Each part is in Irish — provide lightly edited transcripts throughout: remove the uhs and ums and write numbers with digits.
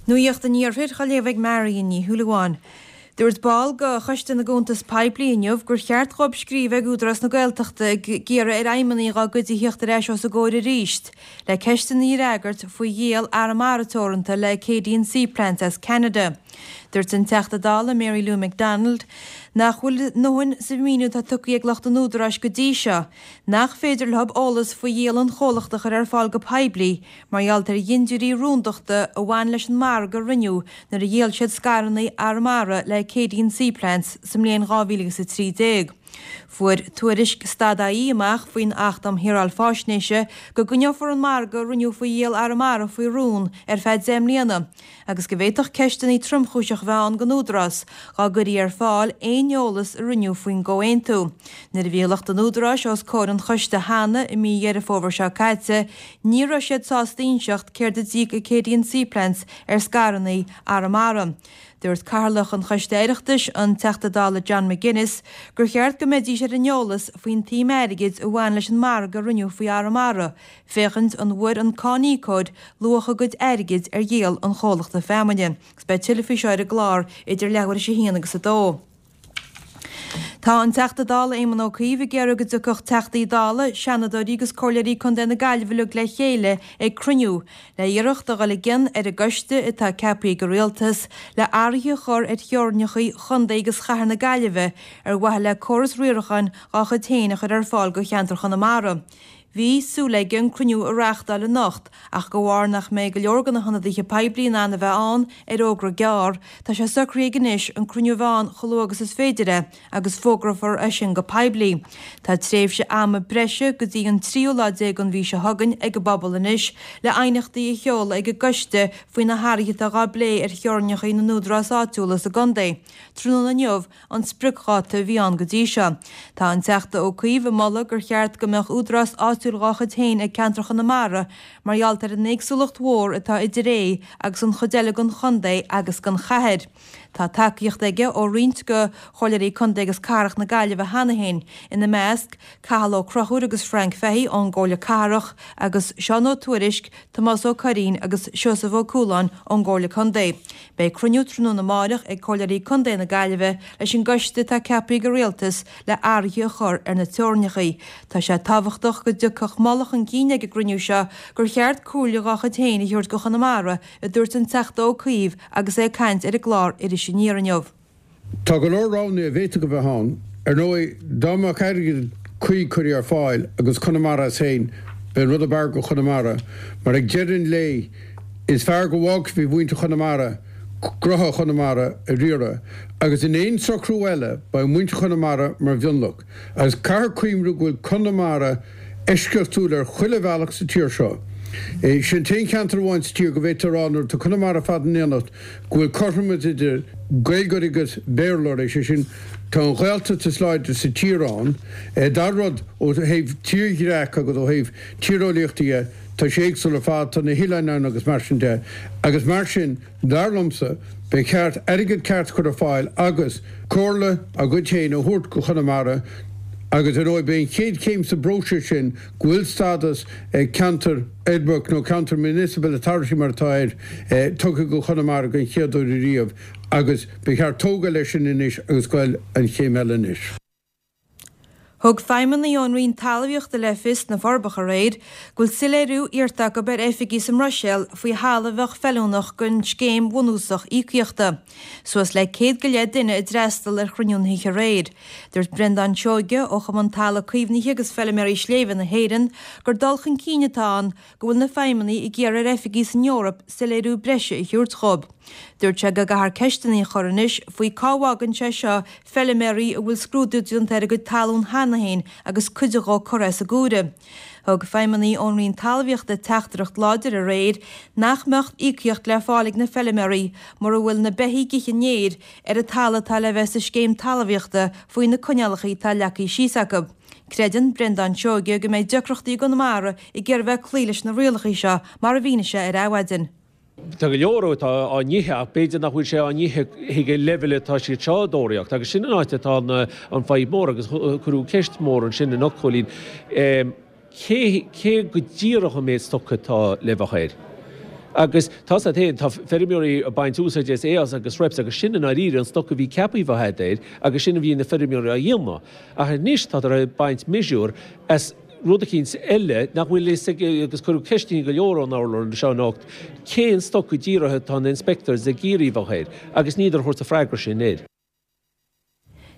Nuacht an Iarthair á léamh ag Marion Ní Shúilleabháin. Dúirt ball de Choiste na gCuntas Poiblí inniu gur cheart dhóibh scríobh ag Údarás na Gaeltachta ag iarraidh ar fheidhmeannaigh dá gcuid a thíocht ar ais os a gcomhair arís le ceisteanna a fhreagairt faoi dhíol Arramara Teoranta le Acadian Seaplants as Ceanada. Dúirt an Teachta Dála Mary Lou McDonald nach bhfuil a ndóthain sa mhíniú atá tugtha ag lucht an Údaráis go dtí seo nach féidir leo eolas faoi dhíol an chomhlachta a chur ar fáil go poiblí mar gheall ar dhintiúirí rúndachta a bhain leis an margadh a rinneadh nuair a dhíol siad scaireanna Arramara le Acadian Seaplants sa mbliain 2013. Fuair Tuairisc Stad-IE amach faoin Acht um Shaoráil Faisnéise go gcoinneofar an margadh a rinneadh faoi dhíol Arramara faoi rún ar feadh 10 mbliana agus go bhféadfadh ceisteanna tromchúiseacha a bheith ann don Údarás dá gcuirí ar fáil aon eolas a rinneadh faoin gcomhaontú. Nuair a bhí lucht an Údaráis os comhair an choiste cheana i mí Dheireadh Fómhair seo caite, ní raibh siad sásta inseacht céard a d'íoc Acadian Seaplants ar scaireanna Arramara. Dúirt Cathaoirleach an Choiste Oireachtais, an Teachta Dála John McGuinness, gur cheart go mbeidís ar an eolas faoin tsuim airgid a bhain leis an margadh a rinneadh faoi Arramara, féachaint an bhfuair an cáiníocóir luach a gcuid airgid ar dhíol an chomhlachta feamainne. Agus beidh tuilleadh faoi seo ar an gclár idir leathuair théis a haon agus a dó. Tá an Teachta Dála Éamon Ó Cuív ag iarraidh go dtiocfadh Teachtaí Dála, Seanadóirí agus Comhairleoirí Contae na Gaillimhe uilig le chéile ag cruinniú le iarracht a dhul i gcion ar an gcoiste atá ceaptha ag an Rialtas le athruithe a chur ar theorainneacha Chontae agus Chathair na Gaillimhe ar mhaithe le córas riaracháin dhá chuid féin a chur ar fáil do cheantar Chonamara. Bhí súil aige an cruinniú a reáchtáil anocht ach de bharr nach mbeidh go leor de na hionadaithe poiblí in ann a bheith ann ar fhógra gearr, tá sé socraithe aige anois an cruinniú a bheith ann chomh luath agus is féidir é agus fógrófar é sin go poiblí. Tá tréimhse ama breise go dtí an tríú lá déag den mhí seo chugainn ag an bpobal anois le aighneachtaí a sheoladh ag an gcoiste faoi na hathruithe atá dhá bplé ar theorainneacha na n-údarás áitiúla sa gcontae. Tráthnóna inniu, an spriocdháta a bhí ann go dtí seo. Tá an Teachta Ó Cuív ag moladh gur cheart go mbeadh údarás áitiúil dhá chuid féin ag ceantar Chonamara mar gheall ar an éagsúlacht mhór atá idir é agus an chuid eile den chontae agus den chathair. Tá tacaíocht aige ó roinnt de Chomhairleoirí Contae agus Cathrach na Gaillimhe cheana féin, ina measc, Cathal Ó Conchúir agus Frank Fahey ón gComhairle Cathrach agus Seán Ó Tuairisg, Tomás Ó Curraoin agus Seosamh Ó Cualáin ón gComhairle Contae. Beidh cruinniú tráthnóna amáireach ag Comhairleoirí Contae na Gaillimhe leis an gcoiste atá ceaptha ag an Rialtas le athruithe a chur ar na teorainneacha. Tá sé tábhachtach go dtiocfadh moladh chun cinn ag an gcruinniú seo gur cheart comhairle dhá chuid féin a thabhairt do Chonamara, a dúirt an Teachta Ó Cuív agus é ag caint ar an gclár Iris Aniar inniu. Tá go leor roghanna a bhféadfadh a bheith ann. Ar ndóigh, dá mbeadh airgead cuí curtha ar fáil agus Conamara as féin, b'é an rud ab fhearr do Chonamara, mar ag deireadh an lae, is fearr go bhfágfaí muintir Chonamara gnóthaí Chonamara a riaradh, agus in aon socrú eile, beidh muintir Chonamara mar mhionlach. Agus caithfear cuimhniú go bhfuil Conamara eisceachtúil ar chuile bhealach sa tír seo. Sin an t-aon cheantar amháin sa tír go bhféadfá a rá nuair atá Conamara ar fad in éineacht go bhfuil cothromas idir Gaeilgeoirí agus Béarlóirí, sé sin, tá an Ghaeltacht is láidre sa tír ann. Dara rud, ó thaobh tírdhreacha agus ó thaobh tíreolaíochta dhe, tá sé éagsúil ar fad, tá na hoileáin ann agus mar sin de. Agus mar sin, dar liomsa, ba cheart airgead ceart a chur ar fáil agus comhairle dá gcuid féin a thabhairt go Chonamara agus ar ndóigh b'é an chéad chéim sa bpróiseas sin go bhfuil stádas ceantar uirbeach nó ceantar municipal authority mar atá air tugtha go Chonamara den chéad uair ariamh agus ba cheart tógáil leis sin anois agus goil an chéim eile anois. Thug feidhmeannaigh ón Roinn Talmhaíochta le fios sna Forbacha aréir go bhfuil soiléiriú iarrta acu ar oifigigh sa mBruiséil faoi thalamh a bheadh feiliúnach don scéim bhunúsach íocaíochta. Suas le 100 go leith duine a d'fhreastal ar chruinniú na hoíche aréir. Dúirt Breandán Seoige ó Chumann Talamh Caomhnaithe agus Feilméaraí Sléibhe na hÉireann gur dul chun cinn atá ann go bhfuil na feidhmeannaigh ag iarraidh ar oifigigh san Eoraip soiléiriú breise a thabhairt dhóibh. Dúirt sé go gcaithfear ceisteanna a chur anois faoi cá bhfágann sé seo feilméaraí a bhfuil scrúdú déanta ar a gcuid talún cheana féin agus cuid dhó curtha as an gcomhaireamh. Thug feidhmeannaigh ón Roinn Talmhaíochta teachtaireacht láidir aréir nach mbeadh íocaíocht le fáil ag na feilméaraí mura bhfuil na beithígh ag ithe an fhéir ar an talamh atá le bheith sa scéim talmhaíochta faoi na coinníollacha atá leagtha síos acu. Creideann Breandán Seoige go mbeidh deacrachtaí i gConamara ag iarraidh bheith ag cloí leis na rialacha seo mar a mhínigh sé ar Adhmhaidin. Tá go leor atá á n-ithe ach b'fhéidir nach bhfuil sé á n-ithe chuig an leibhéal atá siad seo ag tóraíocht agus sin an áit atá an fadhb mór agus cuireadh ceist mhór ansin anocht, Cóilín, cé, cé go díreach an méid stoc atá le bheith air? Agus tá's a't fhéin, tá feirmeoirí ag baint úsáide as Eos agus Reps agus sin i ndáiríre an stoc a bhí ceaptha a bheith a'd air agus sin a bhí na feirmeoirí á dhéanamh. Ach anois tádar ag baint miosúr as rud eicínt eile nach bhfuil fhios ag, agus cuireadh ceisteanna go leor ón urlár anseo anocht, cén stoc go díreach atá na inspectors ag iarraidh a bheith air agus níltear a thabhairt an freagra sin air.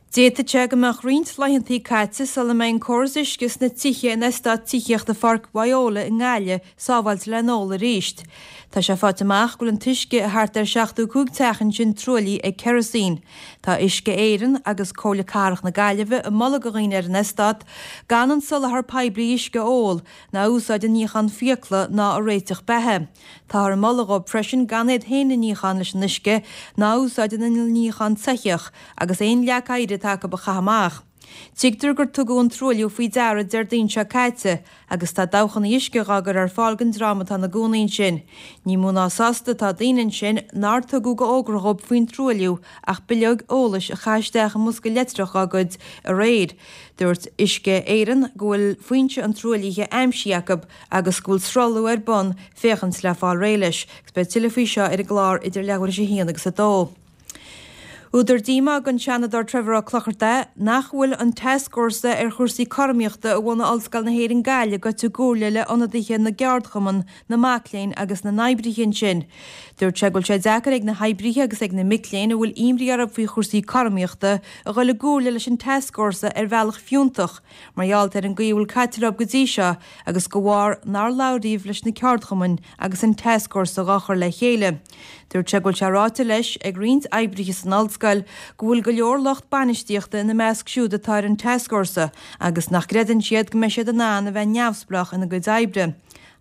D'fhéadfadh sé go mbeadh roinnt laethantaí caite sula mbeidh an córas uisce sna tithe in eastát tithíochta Pháirc Bhayola i nGaillimh sábháilte le n-ól arís. Tá sé faighte amach go bhfuil an t-uisce i thart ar 75 teach ansin truaillithe ag kerosene. Tá Uisce Éireann agus Comhairle Cathrach na Gaillimhe ag moladh do dhaoine ar an eastát gan an soláthar poiblí uisce a ól, ná a úsáid i níochán fiacla ná i réiteach beatha. Táthar ag moladh dhóibh freisin gan iad féin a níochán leis an uisce ná a úsáid ina níochán soitheach agus aon leac oighir atá acu a chaitheamh amach. Tuigtear gur tugadh an truailliú faoi deara Déardaoin seo caite agus tá dabhchanna uisce dhá gcur ar fáil don dream atá ina gcónaí ansin. Ní mó ná sásta atá daoine ansin nár tugadh d'fhógra dhóibh faoin truailliú ach bileog eolais a caitheadh isteach i mbosca leictreach dhá gcuid aréir. Dúirt Uisce Éireann go bhfuil foinse an truaillithe aimsithe acu agus go bhfuil sruthlú ar bun féachaint le fáil réidh leis. Agus beidh tuilleadh faoi seo ar an gclár idir leathuair théis a haon agus a dó. Údar díomá don Seanadóir Trevor Ó Clochartaigh nach bhfuil an tascfhórsa ar chúrsaí cothromaíochta a bhunaigh Ollscoil na hÉireann Gaillimh gaibhte i gcomhairle le ionadaithe na gceardchumann, na mac léinn agus na n-oibrithe ansin. Dúirt sé go bhfuil sé deacair ag na hoibrithe agus ag na mic léinn a bhfuil imní orthu faoi chúrsaí cothromaíochta a dhul i gcomhairle leis an tascfhórsa ar bhealach fiúntach mar gheall ar an gcaoi a bhfuil caite leo go dtí seo agus de bharr nár labhraíodh leis na ceardchumainn agus an tascfhórsa dhá chur le chéile. Dúirt sé go bhfuil sé ráite leis ag roinnt oibrithe san ollscoil go bhfuil go leor lucht bainistíochta ina measc siúd atá ar an tascfhórsa agus nach gcreideann siad go mbeidh siad in ann a bheith neamhspleách ina gcuid oibre.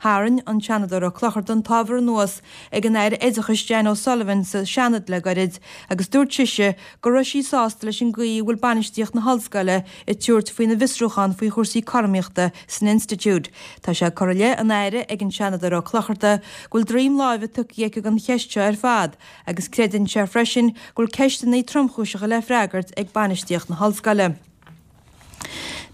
Tharraing an Seanadóir Ó Clochartaigh an t-ábhar anuas ag an Aire Oideachais Jan O'Sullivan sa Seanad le gairid agus dúirt sise go raibh sí sásta leis an gcaoi a bhfuil bainistíocht na hollscoile ag tabhairt faoina bhfiosrúchán faoi chúrsaí cothromaíochta san institiúid. Tá sé curtha i leith an Aire ag an Seanadóir Ó Clochartaigh go bhfuil droim láimhe tugtha aici don cheist seo ar fad agus creideann sé freisin go bhfuil ceisteanna tromchúiseacha le freagairt ag bainistíocht na hollscoile.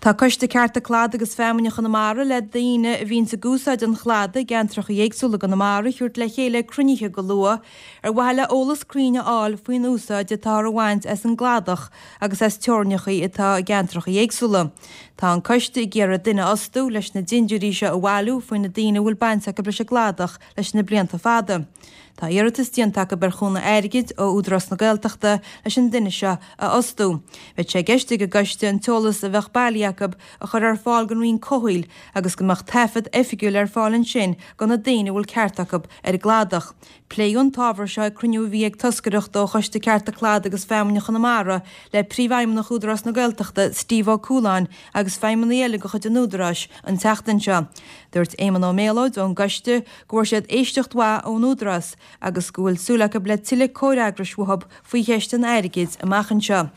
Tá Coiste Cearta Cladaigh agus Feamainne Chonamara le daoine a bhíonns ag úsáid an chladaigh i gceantracha éagsúla i gConamara a thabhairt le chéile ag cruinnithe go luath ar mhaithe le eolas cruinn a fháil faoin úsáid atáthar a bhaint as an gcladach agus as teorainneacha atá i gceantracha éagsúla. Tá an coiste ag iarraidh duine a fhostú leis na dindiúirí seo a bhailiú faoi na daoine a bhfuil baint acu leis an gcladach leis na blianta fada. Tá iarratas déanta acu ar chúnamh airgid ó Údarás na Gaeltachta leis an duine seo a fhostú. Bheadh sé i gceist ag an gcoiste an t-eolas a bheadh bailithe acu a chur ar fáil don Roinn Comhshaoil agus go mbeadh taifead oifigiúil ar fáil ansin do na daoine a bhfuil ceart acu ar an gcladach. Pléadh an t-ábhar seo ag cruinniú a bhí ag toscaireacht ó Choiste Cearta Cladaigh agus Feamainne Chonamara le Príomhfheidhmeannach Údarás na Gaeltachta, Steve Ó Cualáin agus feidhmeannaigh eile de chuid an Údaráis an tseachtain seo. Dúirt Éamonn Ó Méalóid ón gcoiste go bhfuair siad éisteacht mhaith ón Údarás agus go bhfuil súil acu le tuilleadh comhfhreagrais uathu faoi cheist an airgid amach anseo.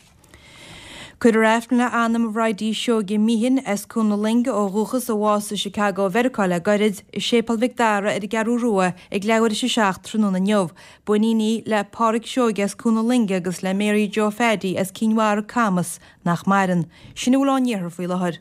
Cuirfear Aifreann le anam Bhridie Seoige Meehan as Cuan na Loinge ó dhúchas a bhásaigh i Chicago Mheiriceá le gairid, i Séipéal Mhic Dara ar an gCeathrú Rua ag leathuair théis a 7 tráthnóna inniu. B'iníon í le Páraic Seoige as Cuan na Loinge agus le Mary Joe Phaddy as Cinn Mhara, Camas, nach maireann. Sin a bhfuil ón iarthar faoi láthair.